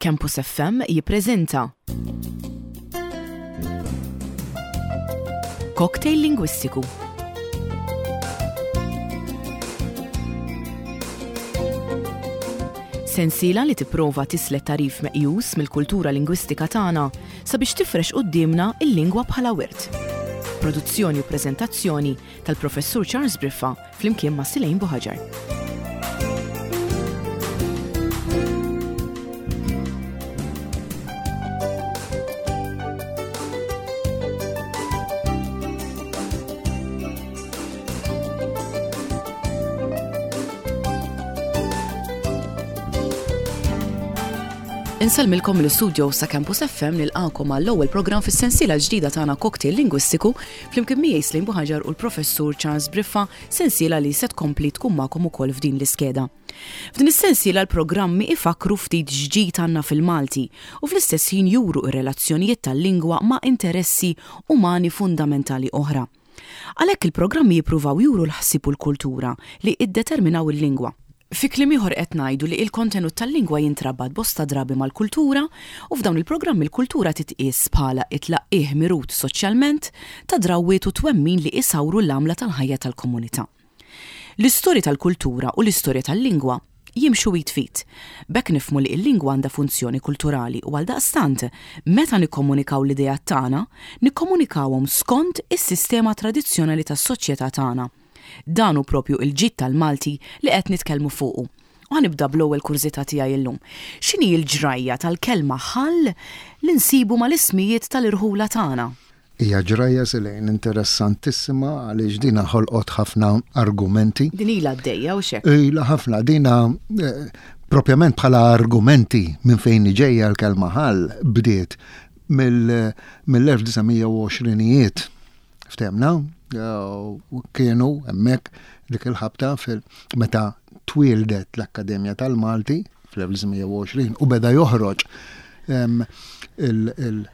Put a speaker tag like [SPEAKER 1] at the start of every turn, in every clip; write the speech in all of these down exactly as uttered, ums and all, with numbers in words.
[SPEAKER 1] Campus F M jippreżenta Cocktail Lingwistiku. Sensiela li tipprova tislet tagħrif meqjus mill-kultura lingwistika tagħna sabiex tifrex quddiemna il-lingwa bħala wirt. Produzzjoni u preżentazzjoni tal-Professur Charles Briffa flimkien ma' Silejn Buħaġar. Insellmilkom l-studio sa' Campus F M, nilqakom għall-ewwel programm fis-sensiela ġdida tagħna Cocktail Lingwistiku flimkien miegħi Slim Buħaġar u l-Professur Charles Briffa, sensiela li se tkompli tkun magħkom ukoll f'din l-iskeda. F'din is-sensiela l-programmi ifakru ftit x'ġid għandna fil-Malti u fl-istess ħin juru ir-relazzjonijiet tal-lingwa ma' interessi umani fundamentali oħra. Għalhekk il-programmi jippruvaw juru l-ħsieb u l-kultura li iddeterminaw il-lingwa. Fi kliem ieħor qed ngħidu li il-kontenut tal-lingwa jintrabat bosta drabi mal-kultura u f'dawn il-programmi l-kultura titqies bħala it-tlaqqih mirut soċjalment ta' drawwiet u twemmin li isawru l-għamla tal-ħajja tal-komunità. L-istorja tal-kultura u l-istorja tal-lingwa jimxu id f'id. B'hekk nifhmu li l-lingwa għandha funzjoni kulturali u għaldaqstant meta nikkomunikaw l-idea tagħna, nikkomunikawhom skont is-sistema tradizzjonali tas-soċjetà tagħna. Dan hu propju il-ġid tal-Malti li qed nitkellmu fuqu. U ħa nibda bl-ewwel kurżità tiegħi illum. X'inhi l-ġrajja tal-kelma ħall li nsibu mal-ismijiet tal-irħula tagħna?
[SPEAKER 2] Hija ġrajja, Selejn, interessantissima għaliex dina ħolqot ħafna argumenti.
[SPEAKER 1] Din ilha għaddejja u xek.
[SPEAKER 2] Ilha ħafna dina eh, propjament bħala argumenti minn fejn ġejja l-kelma ħall bdiet mill-elf disa' mija u għoxrinijiet. Ftemna, kienu hemmhekk dik il-ħabta fil meta twieldet l-Akkademja tal-Malti fl-elf disa' mija u għoxrin u beda joħroġ il- il-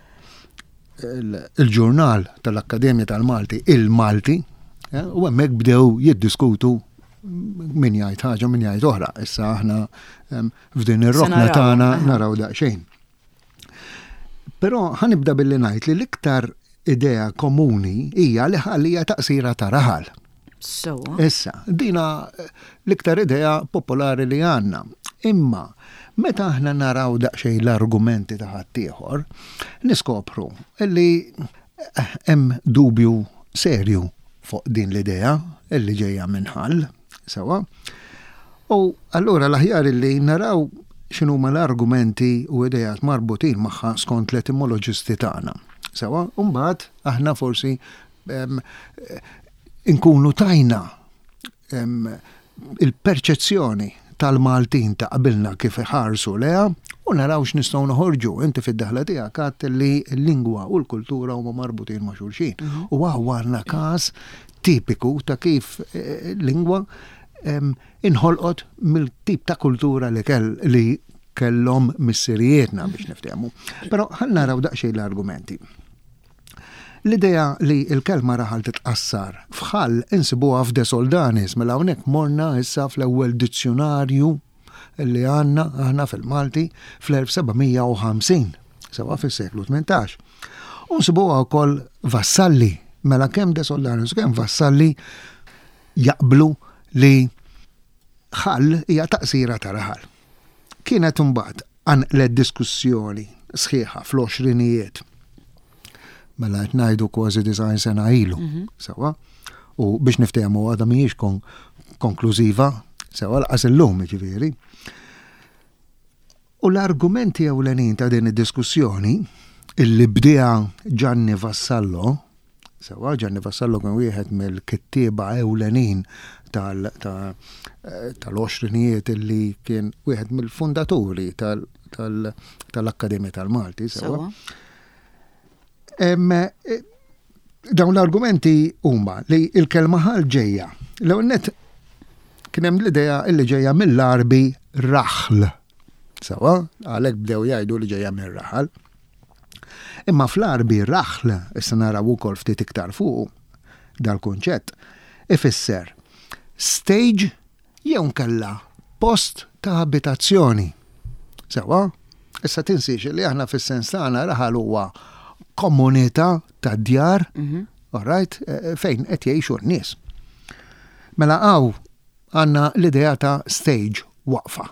[SPEAKER 2] il-ġurnal tal-Akkademja tal-Malti, Il-Malti, eh, u hemmhekk bdew jiddiskutu min jgħid ħaġa, min jgħid oħra. Issa aħna f'din ir-rokna tagħna naraw daqsxejn. Però ħa nibda billi ngħid li l-iktar idea komuni hija li ħalija taqsira ta' raħal.
[SPEAKER 1] So.
[SPEAKER 2] Issa, dina l-iktar idea popolari li għandna. Imma, meta aħna naraw daqsxejn l-argumenti ta' ħaddieħor, niskopru illi hemm dubju serju fuq din l-idea illi ġejja minn ħall, sewa. U allura l-aħjar illi naraw x'inhuma l-argumenti u idejat marbutin magħha skont l-etimoloġisti tagħna. Sewa, mbagħad aħna forsi inkunu tajna il-perċezzjoni tal-Maltin ta' qabilna kif iħarsu leha u naraw x'nistgħu noħorġu. Inti fid-daħla tiegħek għadt li l-lingwa u l-kultura huma marbutin ma' xulxin. Mhm. U għandna każ tipiku ta' kif eh, lingwa inħolqot mill-tip ta' kultura li kell li kellhom missirijietna biex niftehmu. Però ħa naraw daqsxejn l-argumenti. L-idea li il-kelma raħal titqassar f'ħall insibuha f'De Soldanis, mela hawnhekk morna issa fl-ewwel dizzjonarju li għandna aħna fil-Malti fl-elf seba' mija u ħamsin, sewa fis-seklu tmintax. U nsibuha wkoll Vassalli, mela kemm De Soldanis kemm Vassalli jaqblu li ħall hija taqsira ta' raħal. Kienet imbagħad qanqlet diskussjoni sħiħa fl-għoxrinijiet. Mela qed ngħidu kważi disgħin sena ilu. Mhm. Sewa. U biex niftehmu, għadha mhijiex kon konklużiva, sewa, lanqas illum ġifieri. U l-argumenti ewlenin ta' din id-diskussjoni illi bdieha Gianni Vassallo, sewa, Gianni Vassallo kien wieħed mill-kittieba ewlenin tal-għoxrinijiet illi kien wieħed mill-fundaturi tal-Akkademja tal-Malti, sewa. E, dawn l-argumenti huma li il-kelma ħal ġejja. L-ewwel net kien hemm l-idea illi ġejja mill-Arbi raħl. Sewa, għalhekk bdew jgħidu li ġejja mir-raħal. Imma fl-Arbi raħl, issa naraw ukoll ftit iktar fuq dal-kunċett, ifisser stage jew nkella post ta' abitazzjoni. Sewa, Issa tinsiex li aħna fis-sens tagħna raħal huwa komunità ta' djar,
[SPEAKER 1] Mhm.
[SPEAKER 2] all right, eh, fejn qed jgħixu n-nies. Mela hawn għandna l-idea ta' stage, waqfa.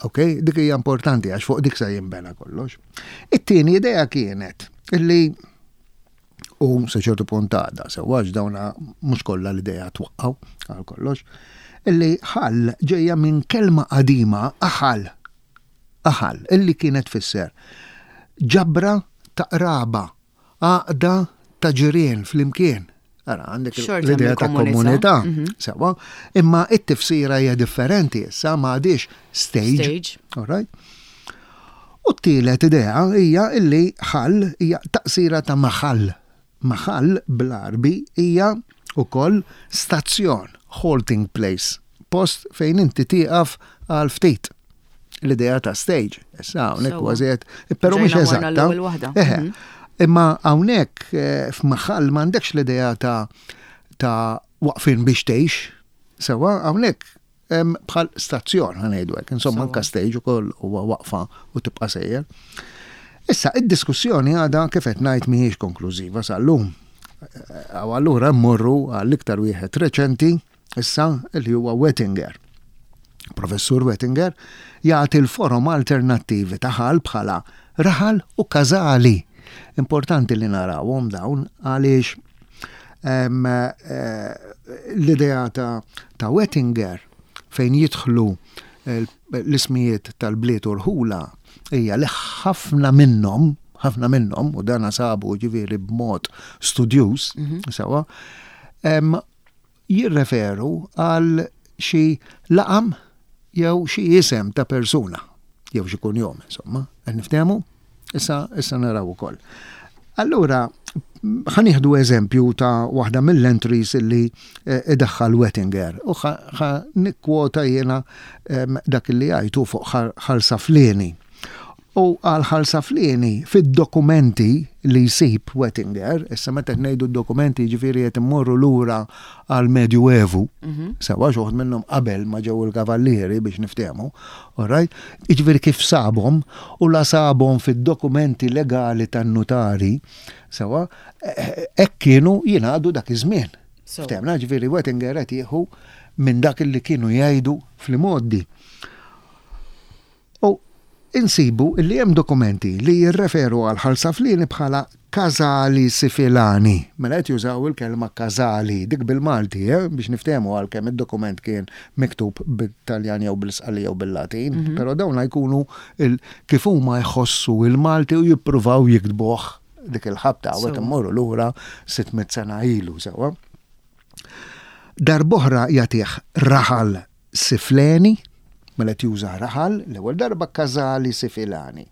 [SPEAKER 2] Ok, dik hija importanti għax fuq dik se jinbena kollox. It-tieni idea kienet illi u sa ċertu punt għadha, sewwa, għax dawna mhux kollha l-idea twaqqaw għal kollox, illi ħal ġejja minn kelma qadima aħal. Aħal, illi kienet tfisser ġabra ta' qraba, għaqda ta' ġirien flimkien. Ara, għandek
[SPEAKER 1] Xorta
[SPEAKER 2] l-idea ta'
[SPEAKER 1] mill-komunità.
[SPEAKER 2] komunità,
[SPEAKER 1] Mhm.
[SPEAKER 2] sewwa, imma it-tifsira hija differenti issa, m'għadix stage.
[SPEAKER 1] Stage.
[SPEAKER 2] All right? U t-tielet idea hija illi ħal hija taqsira ta' maħall. Maħall bl-Arbi hija ukoll stazzjon, halting place, post fejn inti tieqaf għal ftit. L-idea ta' stage, issa hawnhekk
[SPEAKER 1] Sewwa.
[SPEAKER 2] kważi qed, però mhux
[SPEAKER 1] Ġejna morna
[SPEAKER 2] eżatta.
[SPEAKER 1] l-ewwel waħda.
[SPEAKER 2] Eħe.
[SPEAKER 1] Mhm.
[SPEAKER 2] Imma hawnhekk eh, f'maħall m'għandekx l-idea ta' ta' waqfin biex tgħix, sewwa, hawnhekk hemm bħal stazzjon, ħa ngħidu hekk, insomma
[SPEAKER 1] Sewwa.
[SPEAKER 2] anka stage ukoll huwa waqfa u tibqa' sejjer. Issa id-diskussjoni għadha, kif qed ngħid, mhijiex konklużiva sal-lum. Eh, U allura mmorru għall-iktar wieħed reċenti issa, li huwa Wettinger. Professur Wettinger jagħti l-forom alternattivi ta' ħal bħala raħal u każali. Importanti li narawhom dawn għaliex em, eh, l-idea ta', ta' Wettinger fejn jidħlu eh, l-ismijiet tal-bliet u rħula hija li ħafna minnhom, ħafna minnhom, u dan sabu ġifieri b'mod studjuż, sewwa, em, jirreferu għal xi laqam jew xi isem ta' persuna, jew xi kunjom, insomma, qed niftehmu? Issa, issa naraw ukoll. Allura, ħa nieħdu eżempju ta' waħda mill-entries illi eh, idaħħal Wettinger u ħa nikkwota jiena em, dak li għajtu fuq Ħal Saflieni. U għal Ħal Saflieni fid-dokumenti li jsib Wettinger, issa meta ngħidu d-dokumenti ġifieri qed immorru lura għal Medjuevu, sewwa, xi wħud minnhom qabel ma ġew il-kavallieri, biex niftehmu, all right? Jiġifieri kif sabhom u la sabhom fid-dokumenti legali tan-nutari, sewwa, hekk kienu jingħadu dak iż-żmien.
[SPEAKER 1] So.
[SPEAKER 2] Ftehmna, ġifieri Wettinger qed jieħu minn dak li kienu jgħidu fl-imgħoddi. U insibu li hemm dokumenti li jirreferu għal Ħal Saflieni bħala Casali Sifilani. Mela qed jużaw il-kelma Casali, dik bil-Malti, eh, biex niftehmu, għalkemm id-dokument kien miktub bil-Taljan jew bil-Sqalli jew bil-Latin, mm -hmm. però dawn jkunu kif huma jħossu il-Malti u jippruvaw jiktbuh dik il-ħabta, u qed immorru lura sitt mitt sena ilu, sewwa. Darb'oħra jagħtih Raħal Sifleni, mela juża raħal, l-ewwel darba Casali Sifilani.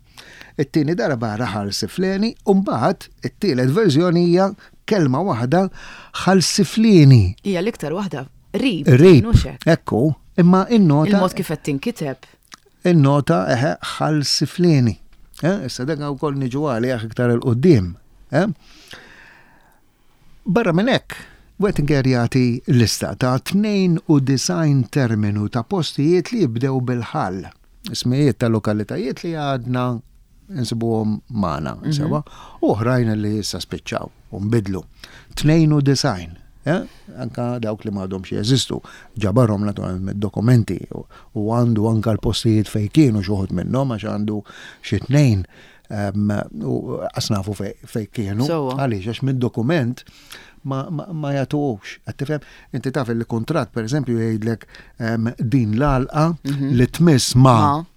[SPEAKER 2] It-tieni darba Raħal Sifleni, u mbagħad it-tielet verżjoni hija kelma waħda, Ħal Siflieni.
[SPEAKER 1] Hija l-iktar waħda qrib.
[SPEAKER 2] Qrib. Ekku, imma in-nota.
[SPEAKER 1] Il-mod kif qed tinkiteb.
[SPEAKER 2] In-nota, eħe, Ħal Siflieni. Eh, issa dak ukoll niġu għalih iktar 'il quddiem. Eh? Barra minn hekk, Wettinger jagħti lista ta' tnejn u disgħin terminu ta' postijiet li jibdew bil-ħal. Ismijiet ta' lokalitajiet li għadna nsibuhom magħna, mm -hmm. sewwa, u oħrajn li issa spiċċaw u nbidlu. tnejn u disgħin, eh? Anka dawk li m'għadhomx jeżistu, ġabarhom naturalment mid-dokumenti u għandu anka l-postijiet fej kienu xi wħud minnhom, għax għandu xi tnejn u qas nafu fej kienu. Għaliex? Għax mid-dokument ma, ma, ma jagħtuhx. Qed tifhem? Inti taf li kuntratt, per eżempju, jgħidlek din l-għalqa mm -hmm. li tmiss ma,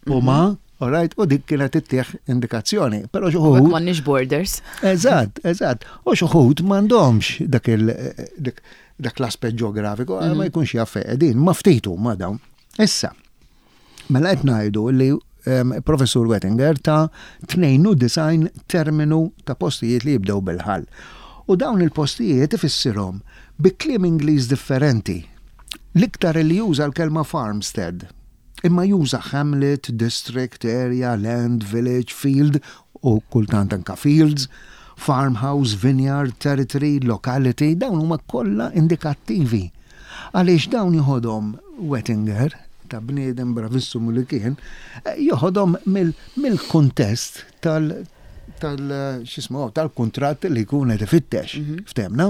[SPEAKER 2] ma u ma, mm -hmm. Alright, u dik kienet ittieħ indikazzjoni. Però xi wħud.
[SPEAKER 1] M'għandniex borders.
[SPEAKER 2] Eżatt, eżatt. U xi wħud m'għandhomx dak il dak l-aspett ġeografiku, mm -hmm. ma jkunx jaf qegħdin, ma ftitu ma dawn. Issa, mela qed ngħidu li um, Professur Wettinger ta' tnejn u disgħin terminu ta' postijiet li jibdew bil-ħal. U dawn il-postijiet ifissirhom bi kliem Ingliż differenti. L-iktar li juża l-kelma farmstead, imma juża hamlet, district, area, land, village, field u kultant anka fields, farmhouse, vineyard, territory, locality, dawn huma kollha indikattivi. Għaliex dawn jħodhom Wettinger ta' bniedem bravissimu li kien, eh, joħodhom mill-kuntest tal tal x'ismu tal-kuntratt li jkun qed ifittex, mhm. ftehmna.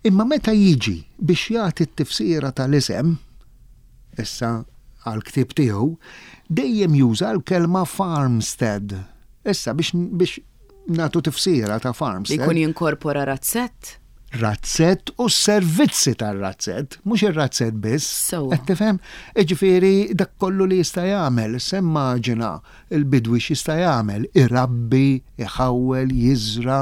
[SPEAKER 2] Imma meta jiġi biex jagħti t-tifsira tal-isem, issa għal-ktib tiegħu, dejjem juża l-kelma farmstead. Issa biex biex nagħtu tifsira ta' farmstead.
[SPEAKER 1] Jkun jinkorpora razzett?
[SPEAKER 2] Razzett u s-servizzi tar-razzett, mhux ir-razzett biss. Qed tifhem? Jiġifieri dak kollu li jista' jagħmel, immaġina il-bidwi x'jista' jagħmel, irabbi, iħawwel, jiżra.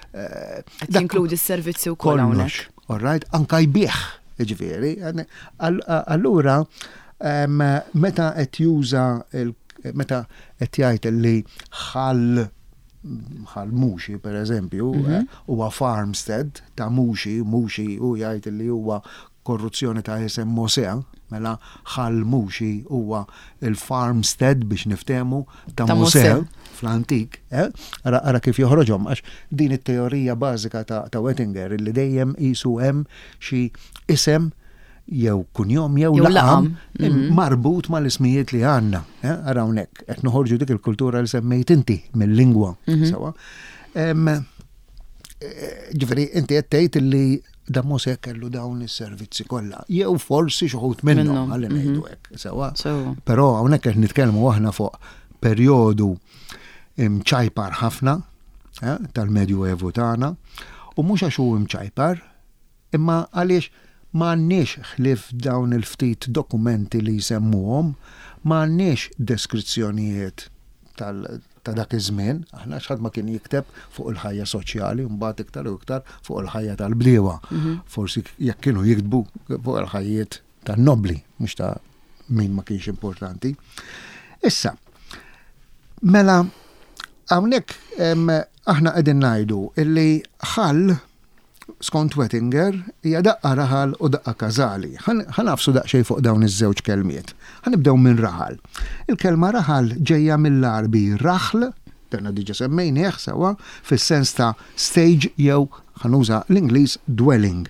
[SPEAKER 1] Eh, Qed jinkludi s-servizzi wkoll hawnhekk.
[SPEAKER 2] All right, anka jbigħ, jiġifieri. Allura, meta qed juża meta qed jgħid li ħal bħal Muxi per eżempju, mhm. eh, huwa farmstead ta' Muxi, Muxi u jgħid li huwa korruzzjoni ta' isem Mosè, mela ħal Muxi huwa il-farmstead biex niftemu ta' Mosè fl-antik. Eh? Ara, ara kif joħroġhom, għax din it-teorija bażika ta', ta Wettinger li dejjem qisu hemm xi isem jew kunjom jew laqam mhm. marbut mal-ismijiet li għandna. Eh, ara hawnhekk qed noħorġu dik il-kultura li semmejt inti mill-lingwa. Mhm. Sewa. Eh, ġifieri inti qed tgħid li da Mosè kellu dawn is-servizzi kollha. Jew forsi xi wħud minnhom ħalli mhm. ngħidu hekk, sewa. Però hawnhekk qed nitkellmu aħna fuq perjodu mċajpar ħafna eh, tal-Medju Evu tagħna u mhux għax hu mċajpar, imma għaliex m'għandniex ħlief dawn il-ftit dokumenti li jsemmuhom, m'għandniex deskrizzjonijiet ta' dak iż-żmien, aħna x'ħadd ma kien jikteb fuq il-ħajja soċjali, mbagħad iktar u iktar fuq il-ħajja tal-bdiewa. Mhm. Forsi jekk kienu jiktbu fuq il-ħajjiet tan-nobli, mhux ta' min ma kienx importanti. Issa, mela hawnhekk aħna qegħdin ngħidu illi ħal skont Wettinger, hija daqqa raħal u daqqa każali. Ħa nagħfsu daqsxejn fuq dawn iż-żewġ kelmiet. Ħa nibdew minn raħal. Il-kelma raħal ġejja mill-Għarbi raħl, dana diġà semmejnieh sewa, fis-sens ta' stage jew ħa nuża l-Ingliż dwelling.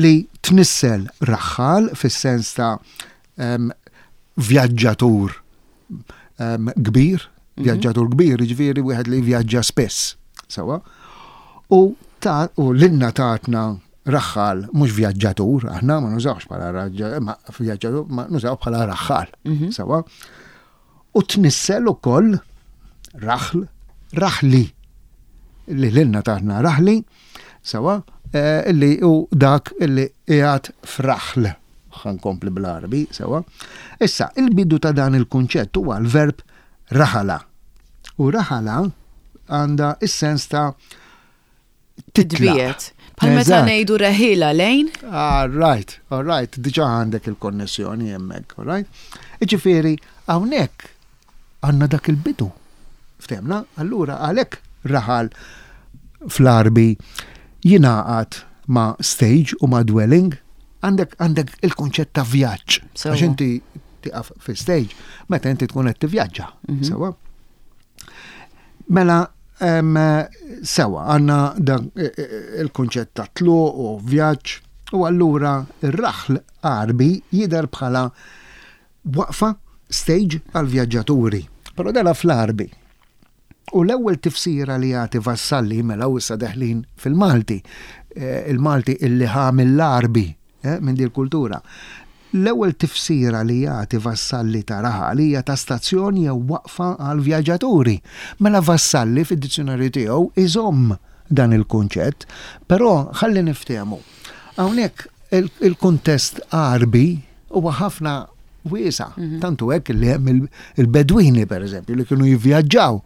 [SPEAKER 2] Li tnissel raħħal fis-sens ta' um, vjaġġatur um, kbir, mhm. vjaġġatur kbir, jiġifieri wieħed li vjaġġa spess, sewa. U ta' u lilna tatna raħħal mhux vjaġġatur, aħna ma nużawx bħala ma vjaġġatur, ma nużaw bħala raħħal. Mhm. Sewa. U tnissel ukoll raħl, raħli. Li lilna tatna raħli, sewa, eh, illi u dak illi qiegħed f'raħl. Ħa nkompli bl-Għarbi, sewa. Issa, il-bidu ta' dan il-kunċett huwa l-verb raħala. U raħala għandha is-sens ta'
[SPEAKER 1] Titbiet. Bħal meta ngħidu reħila lejn.
[SPEAKER 2] All right, all right, diġà għandek il-konnessjoni hemmhekk, all right? Iġifieri hawnhekk għandna dak il-bidu. Ftehmna? Allura għalhekk raħal fl-Għarbi jingħaqad ma' stage u ma' dwelling, għandek għandek il-konċett ta' vjaġġ. Għax inti tiqaf fi stage meta inti tkun qed tivvjaġġa. Mhm. Sewa. Mela sewa għandna dan e, e, il-kunċett ta' tluq u vjaġġ u allura ir-raħl Għarbi jidher bħala waqfa stage għal vjaġġaturi. Però dela fl-Għarbi. U l-ewwel tifsira li jagħti Vassalli mela u issa deħlin fil-Malti, eh, il-Malti illi ħa mill-Għarbi eh, minn din kultura. L-ewwel tifsira li jagħti Vassalli ta' raħal hija ta' stazzjon jew waqfa għal vjaġġaturi. Mela Vassalli fid-dizzjunarju tiegħu iżomm dan il-kunċett, però ħalli niftehmu. Hawnhekk il-kuntest Għarbi huwa ħafna wiesa', mhm. tantu hekk li hemm il-Bedwini pereżempju li kienu jivvjaġġaw.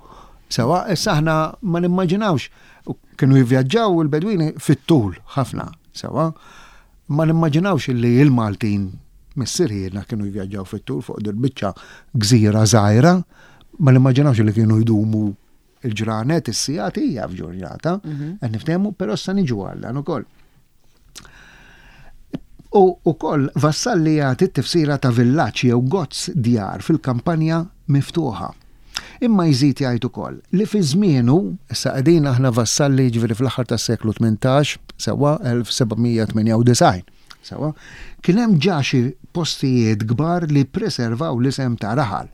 [SPEAKER 2] Sewa, issa aħna ma nimmaġinawx kienu jivvjaġġaw il-Bedwini fit-tul ħafna, sewa. Ma nimmaġinawx li l-Maltin missirijietna kienu jivvjaġġaw fit-tul fuq dil-biċċa gżira żgħira, ma nimmaġinawx li kienu jdumu il-ġranet, is-sigħat hija f'ġurnata, mhm. qed niftehmu, però issa niġu għal dan ukoll. U ukoll Vassalli jagħti t-tifsira ta' villaġġ jew gozz djar fil-kampanja miftuħa. Imma jżid jgħid ukoll li fi żmienu, issa qegħdin aħna Vassalli jiġifieri fl-aħħar tas-seklu tmintax, sewwa elf seba' mija tmienja u disgħin, Sewwa, kien hemm ġa xi postijiet kbar li preservaw l-isem ta' raħal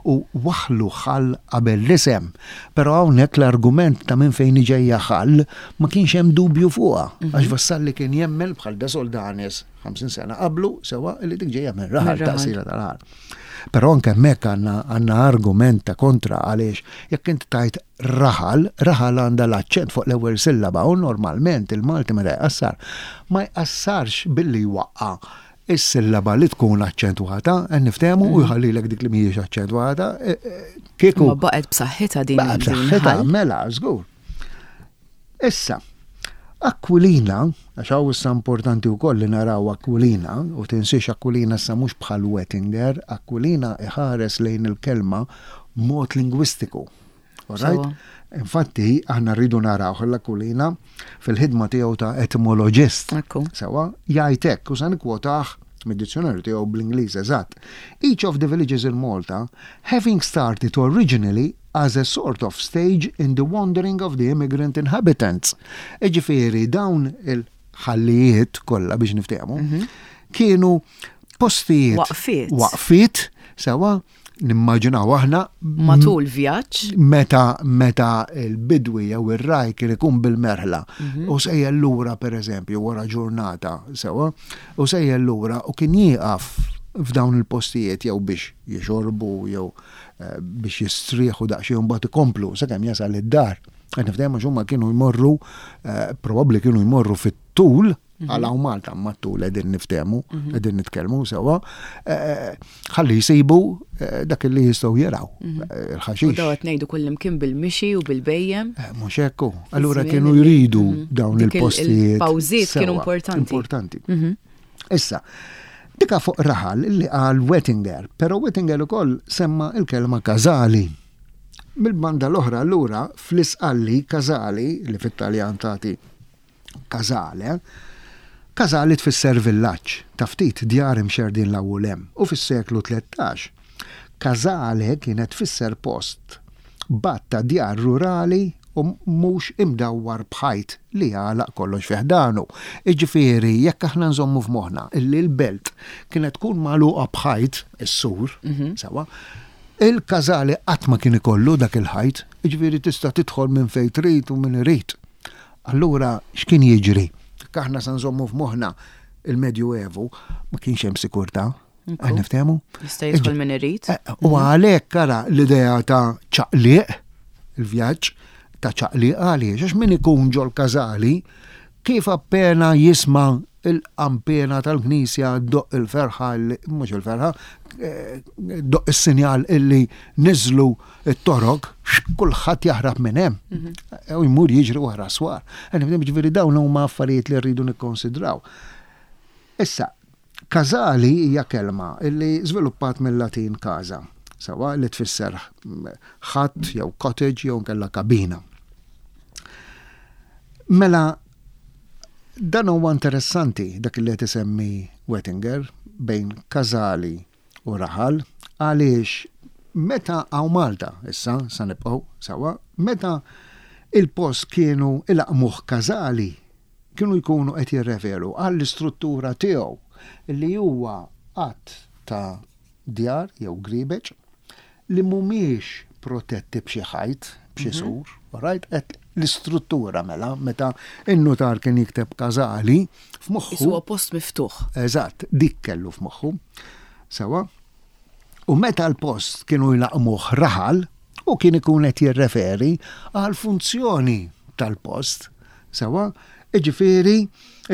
[SPEAKER 2] u waħlu ħal qabel l-isem. Però hawnhekk l-argument ta' minn fejn ġejja ħal ma kienx hemm dubju fuqha. Għax Vassalli kien jemmen bħal De Soldanis ħamsin sena qablu, sewwa, li dik ġejja minn raħal, taqsira ta' raħal. Però anke hemmhekk għandna għandna argument ta' kontra, għaliex jekk inti tajt raħal, raħal għandha l-aċċent fuq l-ewwel sillaba u normalment il-Malti meta jqassar ma jqassarx billi jwaqqa' is-sillaba li tkun aċċentwata, qed niftehmu, u jħallilek dik li mhijiex aċċentwata. e, e, Kieku
[SPEAKER 1] Ma baqgħet b'saħħitha din
[SPEAKER 2] baqgħet
[SPEAKER 1] din
[SPEAKER 2] b'saħħitha,
[SPEAKER 1] ħal.
[SPEAKER 2] Mela, żgur. Issa, Aquilina, għax hawn issa importanti wkoll li naraw Aquilina, u tinsiex Aquilina issa mhux bħal Wettinger, Aquilina iħares lejn il-kelma mod lingwistiku. Alright?
[SPEAKER 1] Sewwa.
[SPEAKER 2] Infatti, aħna rridu naraw l-Aquilina fil-ħidma tiegħu ta' etimologist.
[SPEAKER 1] Ekku.
[SPEAKER 2] Sewwa, jgħid hekk, u sa nikkwotah mid-dizzjonarju tiegħu bl-Ingliż eżatt. "Each of the villages in Malta having started originally as a sort of stage in the wandering of the immigrant inhabitants." Iġifieri dawn il-ħallijiet kollha, biex niftehmu, kienu postijiet.
[SPEAKER 1] Waqfiet.
[SPEAKER 2] Waqfiet, sewwa, nimmaġinaw aħna
[SPEAKER 1] Matul vjaġġ.
[SPEAKER 2] meta meta il-bidwi jew ir-raj kien ikun bil-merħla u sejjer lura, per eżempju, wara ġurnata, sewwa, u sejjer lura u kien jieqaf f'dawn il-postijiet jew biex jixorbu jew eh, biex jistrieħu daqsxejn, mbagħad ikomplu sakemm jasal id-dar. Qed niftehmu, għax huma kienu jmorru eh, probabbli kienu jmorru fit-tul għal hawn Malta, ma tul qegħdin niftehmu, qegħdin nitkellmu sewwa, eh, ħalli jsibu eh, dak li jistgħu jaraw, eh,
[SPEAKER 1] U
[SPEAKER 2] il-ħaxix.
[SPEAKER 1] daw qed ngħidu kullimkien bil-mixi u bil-bhejjem.
[SPEAKER 2] Eh, Mhux hekk. Allura
[SPEAKER 1] Żmien
[SPEAKER 2] kienu
[SPEAKER 1] li-
[SPEAKER 2] jridu
[SPEAKER 1] Mhm.
[SPEAKER 2] dawn
[SPEAKER 1] Dik il-
[SPEAKER 2] il-postijiet.
[SPEAKER 1] il-pawżiet kienu
[SPEAKER 2] Sewwa,
[SPEAKER 1] importanti.
[SPEAKER 2] Importanti. Issa, dika fuq raħal li qal Wettinger, però Wettinger ukoll semma il-kelma Kazali. Mill-banda l-oħra allura fl-Isqalli Kazali, li fit-Taljan tagħti Casale, Kazali tfisser villaġġ ta' ftit djar imxerdin 'l hawn. U fis-seklu tlettax Kazale kienet tfisser post b'għadd ta' djar rurali u mhux imdawwar b'ħajt li jagħlaq kollox fi ħdanu. Iġifieri, jekk aħna nżommu f'moħħna illi l-belt kienet tkun magħluqa b'ħajt, is-sur, sewwa, il-każali qatt ma kien ikollu dak il-ħajt, iġifieri tista' tidħol minn fejn trid u minn irid. Allura x'kien jiġri? Jekk aħna sa nżommu f'moħħna il-Medju Evu, ma kienx hemm sikurtà. Qed niftehmu?
[SPEAKER 1] Jista' jidħol min irid.
[SPEAKER 2] Eh, U għalhekk ara l-idea ta' ċaqliq, il-vjaġġ ta' ċaqliq, għaliex, għax min ikun ġol każali, kif appena jisma' il-qampina tal-knisja ddoqq il-ferħa, li- mhux il-ferħa, eh, ddoqq is-sinjal illi niżlu it-torok, kulħadd jaħrab minn hemm. U jmur jiġri wara swar. Ġifieri dawn huma affarijiet li rridu nikkonsidraw. Issa, Kazali hija kelma illi żviluppat mill-Latin casa, sewwa, li tfisser hut jew cottage jew kella kabina. Mela, dan huwa interessanti dak li qed isemmi Wettinger bejn Kazali u Raħal, għaliex meta hawn Malta, issa sa nibqgħu sewwa, meta il-post kienu ilaqqmuh Kazali, kienu jkunu qed jirreferu għall-istruttura tiegħu li huwa għadd ta' djar jew gribeċ li mhumiex protetti b'xi ħajt, b'xi sur, right? Et l-istruttura mela, meta in-nutar kien jikteb Kazali, f'moħħu.
[SPEAKER 1] Huwa post miftuħ.
[SPEAKER 2] Eżatt, dik kellu f'moħħu. Sewwa. U meta l-post kienu jlaqqmuh raħal, u kien ikun qed jirreferi għal funzjoni tal-post. Sewwa, iġifieri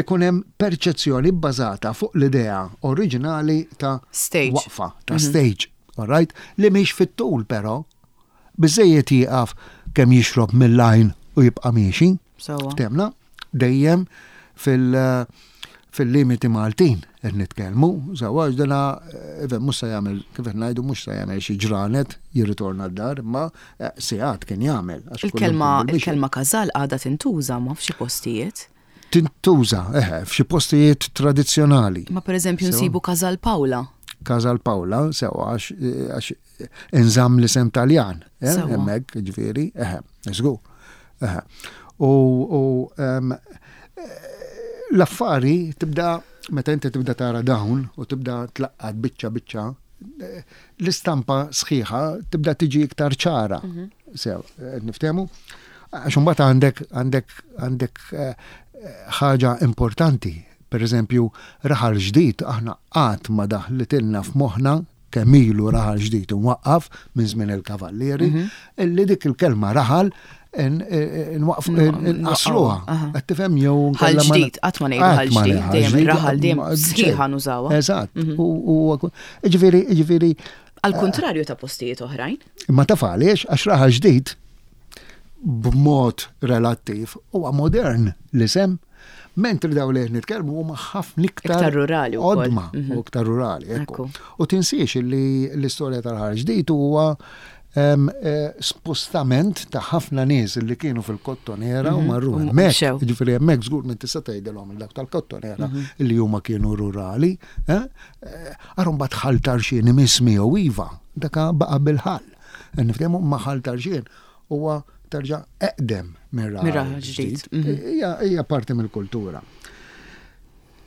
[SPEAKER 2] ikun hemm perċezzjoni bbażata fuq l-idea oriġinali ta'
[SPEAKER 1] Stage.
[SPEAKER 2] waqfa, ta' stage, all right? Li mhix fit-tul però, biżejjed jieqaf kemm jixrob mill-għajn u jibqa' miexi.
[SPEAKER 1] Sewwa.
[SPEAKER 2] Temna, dejjem fil- fil-limiti Maltin qed nitkellmu, sewwa, dana even mhux se jagħmel, kif qed ngħidu, mhux se jagħmel xi ġranet jirritorna d-dar, imma eh, sigħat kien jagħmel, għax kull
[SPEAKER 1] Il-kelma
[SPEAKER 2] imkien bil-mixi.
[SPEAKER 1] Il-kelma każal għadha tintuża ma f'xi postijiet.
[SPEAKER 2] Tintuża, eħe, f'xi postijiet tradizzjonali.
[SPEAKER 1] Ma pereżempju
[SPEAKER 2] Sewwa.
[SPEAKER 1] nsibu Każal Paola.
[SPEAKER 2] Casal Paola, sewwa, għax għax inżamm l-isem Taljan, eh,
[SPEAKER 1] Sewwa.
[SPEAKER 2] hemmhekk, ġifieri, eħe, żgur. Eħe. U u, em, l-affari tibda meta inti tibda tara dawn u tibda tlaqqat biċċa biċċa, eh, l-istampa sħiħa tibda tiġi iktar ċara.
[SPEAKER 1] Mhm.
[SPEAKER 2] Sew, eh, niftehmu? Għax imbagħad għandek għandek għandek eh, ħaġa importanti. Per eżempju, Raħal Ġdid aħna qatt ma daħlitilna f'moħħna kemm ilu Raħal Ġdid imwaqqaf minn żmien il-Kavallieri,
[SPEAKER 1] Mhm.
[SPEAKER 2] illi dik il-kelma raħal nwaqf nqasruha.
[SPEAKER 1] Aha.
[SPEAKER 2] Qed tifhem jew
[SPEAKER 1] Ħal
[SPEAKER 2] nkella ma-
[SPEAKER 1] ġdid, qatt ma ngħidu ħal
[SPEAKER 2] Qatt ma
[SPEAKER 1] ġdid,
[SPEAKER 2] ngħidu
[SPEAKER 1] dejjem
[SPEAKER 2] ħal
[SPEAKER 1] raħal dejjem
[SPEAKER 2] ma-
[SPEAKER 1] sħiħa nużawha.
[SPEAKER 2] Eżatt. U u- Ġifieri, ġifieri,
[SPEAKER 1] Al kontrarju ta' postijiet oħrajn.
[SPEAKER 2] imma taf għaliex għax Raħal Ġdid b'mod relattiv huwa modern l-isem, mentri daw li qed nitkellmu huma ħafna iktar
[SPEAKER 1] Iktar rurali wkoll.
[SPEAKER 2] Qodma u iktar rurali, ekku.
[SPEAKER 1] Ekku.
[SPEAKER 2] U tinsiex li l-istorja tal-Raħal Ġdid huwa em, eh, spostament ta' ħafna nies li kienu fil-Kottonera u marru
[SPEAKER 1] U
[SPEAKER 2] hemmhekk.
[SPEAKER 1] mxew.
[SPEAKER 2] Ġifieri hemmhekk żgur minn tista' tgħidilhom dak tal-Kottonera li huma kienu rurali. eh? Eh, Ara mbagħad Ħal Tarxien imiss miegħu iva, daka baqa' bil-ħal. Niftehmu ma' Ħal Tarxien huwa terġa' eqdem minn
[SPEAKER 1] Minn
[SPEAKER 2] Raħal
[SPEAKER 1] Raħal Ġdid.
[SPEAKER 2] Ġdid. Hija hija parti mill-kultura.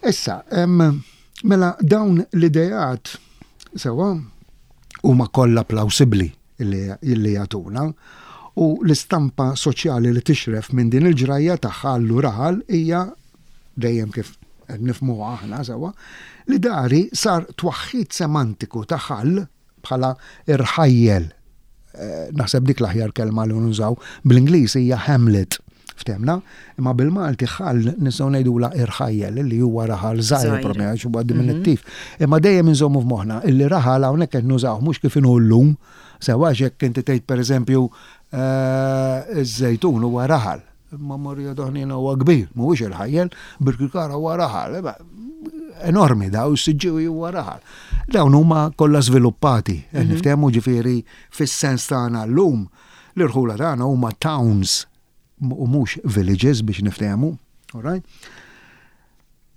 [SPEAKER 2] Issa, em, mela dawn l-idejat sewa huma kollha plawsibbli illi illi jagħtuna u l-istampa soċjali li tixref minn din il-ġrajja ta' ħallu raħal hija dejjem kif qed nifhmuha aħna sewa li dari sar twaħħid semantiku ta' ħall bħala irħajjel. Eh, Naħseb dik l-aħjar kelma li nużaw bl-Ingliż hija hamlet. Ftemna, imma bil-Malti ħall nistgħu ngħidula irħajjel li huwa raħal żgħir
[SPEAKER 1] Żgħir.
[SPEAKER 2] propju għax huwa diminuttiv. Imma dejjem inżommu f'moħħna illi raħal hawnhekk qed nużaw mhux kif inhu llum, sewa jekk inti tgħid pereżempju eh, iż-Żejtun huwa raħal. Imma Marija Doħnina huwa kbir, mhuwiex irħajjel, Birkirkara huwa raħal. Imma enormi daw, Siġġiewi huwa raħal. Dawn huma kollha żviluppati, qed niftehmu ġifieri fis-sens tagħna llum l-irħula tagħna huma towns u mhux villages biex niftehmu, all right?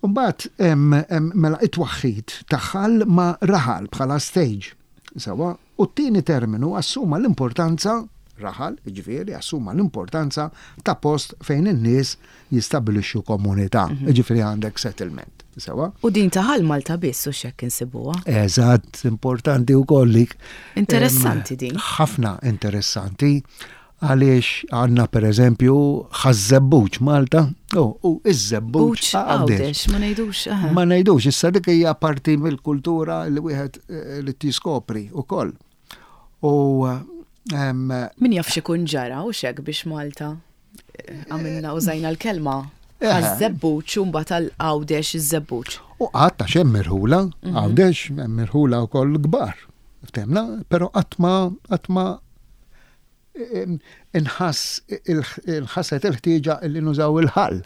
[SPEAKER 2] Mbagħad hemm hemm mela it-twaħħid ta' ħal ma' raħal bħala stage. Sewa, u t-tieni terminu assuma l-importanza raħal, ġifieri, assuma l-importanza ta' post fejn in-nies jistabilixxu komunità, ġifieri għandek settlement. Sewa?
[SPEAKER 1] U din ta' Ħal Malta biss u xekk insibuha.
[SPEAKER 2] Eżatt, importanti u kollik.
[SPEAKER 1] Interessanti din.
[SPEAKER 2] Ħafna interessanti għaliex għandna per eżempju Ħaż-Żebbuġ Malta, oh, u iż-Żebbuġ
[SPEAKER 1] Buċ Għawdex, ma ngħidux. aha.
[SPEAKER 2] Ma ngħidux, issa dik hija parti mill-kultura li wieħed eh, li tiskopri ukoll. U em,
[SPEAKER 1] Min jaf x'ikun ġara u xek biex Malta eh, għamilna użajna l-kelma.
[SPEAKER 2] Eh.
[SPEAKER 1] Għaż-Żebbuġ u mbagħad għal Għawdex iż-Żebbuġ.
[SPEAKER 2] U qatt għax hemm irħula, Għawdex hemm irħula wkoll kbar. Ftemna, però qatt ma qatt ma em, inħass inħasset il-ħtieġa li nużaw il-ħall.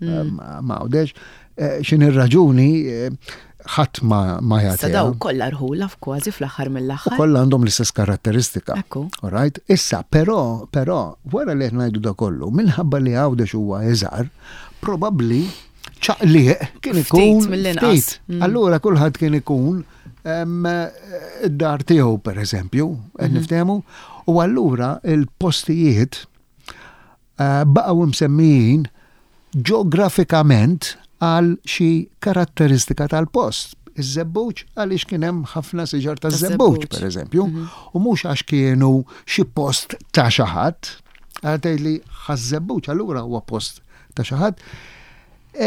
[SPEAKER 2] Ma ma Għawdex eh, x'in ir-raġuni eh, ħadd ma ma
[SPEAKER 1] Sa
[SPEAKER 2] jagħtiha.
[SPEAKER 1] daw kollha rħula f'kważi fl-aħħar
[SPEAKER 2] U
[SPEAKER 1] mill-aħħar.
[SPEAKER 2] kollha għandhom l-istess karatteristika.
[SPEAKER 1] Ekku.
[SPEAKER 2] All right? Issa, però, però, wara li qed ngħidu da kollu, minħabba li Għawdex huwa iżgħar, probabbli ċaqliq kien
[SPEAKER 1] Ftit
[SPEAKER 2] ikun
[SPEAKER 1] mill-inqas.
[SPEAKER 2] ftit. Allura kulħadd kien ikun em, id-dar tiegħu pereżempju, qed niftehmu, u allura il-postijiet eh, baqgħu msemmijin ġeografikament għal xi karatteristika tal-post. Iż-Żebbuġ għaliex kien hemm ħafna siġar ta' żebbuġ,
[SPEAKER 1] Taż-żebbuġ.
[SPEAKER 2] per eżempju, u mhux għax kienu xi post ta' xi ħadd, għal li Ħaż-Żebbuġ allura huwa post ta' xi ħadd.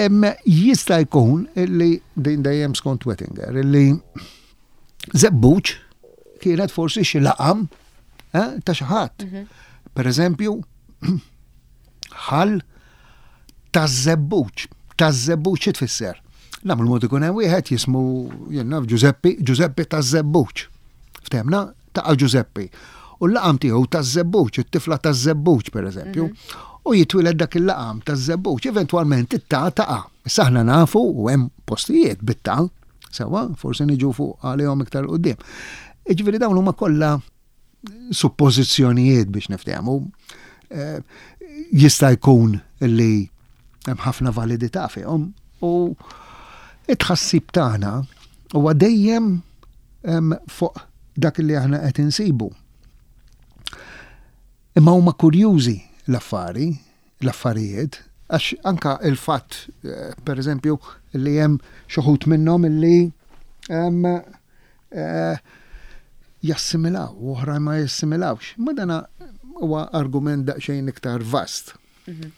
[SPEAKER 2] Em, Jista' jkun illi din dejjem skont Wettinger, illi Żebbuġ kienet forsi xi laqam eh, ta' xi ħadd. Per eżempju, ħal taż-Żebbuġ. Taż-Żebbuġ xi tfisser? Nagħmlu mod ikun hemm wieħed jismu jien naf Giuseppe, Giuseppe taż-Żebbuġ. Ftemna ta' Giuseppe. U l-laqam tiegħu taż-Żebbuġ, it-tifla taż-Żebbuġ pereżempju. U jitwieled dak il-laqam taż-Żebbuġ, eventwalment it-ta taqa'. Issa aħna nafu u hemm postijiet bit-ta, sewa, forsi niġu fuq għalihom iktar quddiem. Jiġifieri dawn huma kollha suppożizzjonijiet biex niftehmu. Eh, Jista' jkun li hemm ħafna validità fihom u it-tħassib tagħna huwa dejjem em, fuq dak li aħna qed insibu. Imma huma kurjużi l-affari, l-affarijiet, Għax anka il-fatt, eh, per eżempju, li hemm xi wħud minnhom illi eh, jassimilaw, u oħra ma jassimilawx. Ma dana huwa argument daqsxejn iktar vast.
[SPEAKER 1] Mhm.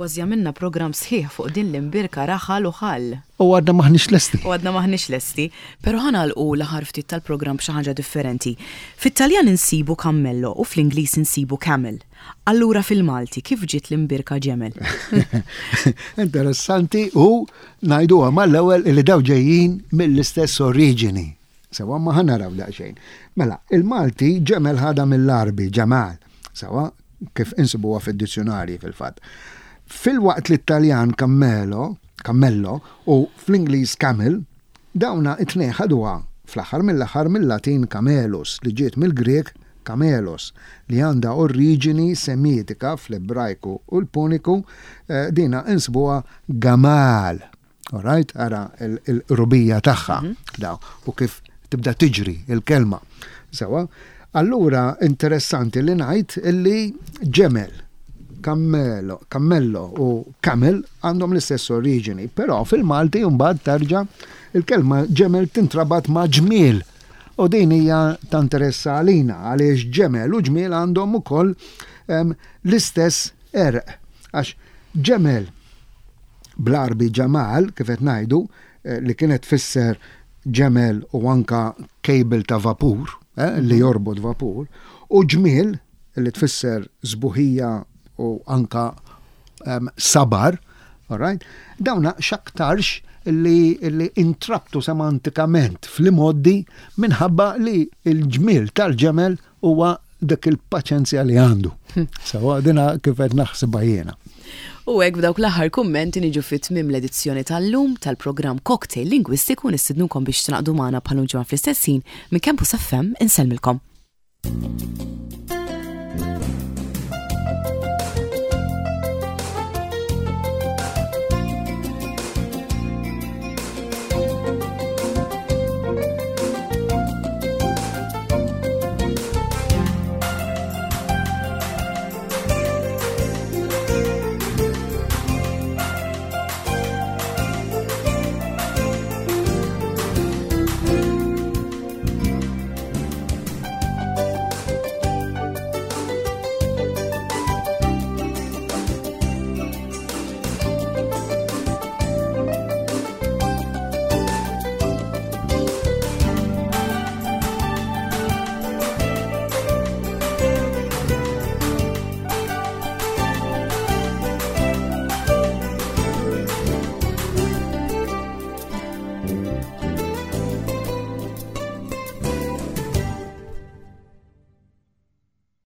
[SPEAKER 1] Kważi għamilna program sħiħ fuq din l-imbierka raħal u ħal.
[SPEAKER 2] U għadna maħniex lesti.
[SPEAKER 1] U għadna maħniex lesti, pero ħa nagħlqu l-aħħar ftit tal-program b'xi ħaġa differenti. Fit-Taljan insibu cammello u fl-Ingliż insibu camel. Allura fil-Malti kif ġiet l-imbierka ġemel?
[SPEAKER 2] Interessanti u ngħiduha mal-ewwel li daw ġejjin mill-istess oriġini. Sewwa, ma ħa naraw daqsxejn. Mela, il-Malti ġemel ħadha mill-Għarbi, ġamal. Sewwa, kif insibuha fid-dizzjonarji fil-fatt. Filwaqt li Taljan cammelo, cammello u fl-Ingliż camel, dawna it-tnejn ħaduha fl-aħħar mill-aħħar mill-Latin camelus, li ġiet mill-Grek kamelos, li għandha oriġini semitika fl-Ebrajku u l-Puniku, eh, dina insibuha gamal. Alright, ara il-rubija tagħha mhm. daw u kif tibda tiġri il-kelma. Sewwa, allura interessanti li ngħid illi ġemel, cammelo, cammello u camel għandhom l-istess oriġini, però fil-Malti mbagħad terġa' il-kelma ġemel tintrabat ma' ġmiel. U din hija ta' interess għalina għaliex ġemel u ġmiel għandhom ukoll l-istess għerq. Għax ġemel bl-Għarbi ġamal, kif qed ngħidu, eh, li kienet tfisser ġemel u anka cable ta' vapur, eh, li jorbot vapur, u ġmiel li tfisser sbuħija u anka um, sabar, alright? Dawna xaktarx li, li intrabtu semantikament fl-imgħoddi minħabba li il-ġmiel tal-ġemel huwa dak il-paċenzja li għandu. Hm. Sewwa, dina kif qed naħsibha jiena.
[SPEAKER 1] U hekk, b'dawk l-aħħar kummenti, niġu fit tmim l-edizzjoni tal-lum tal-programm Cocktail Lingwistiku. Nistidnukom biex tingħaqdu magħna bħal ġimgħa fl-istess ħin. Minn Campus F M insellmilkom.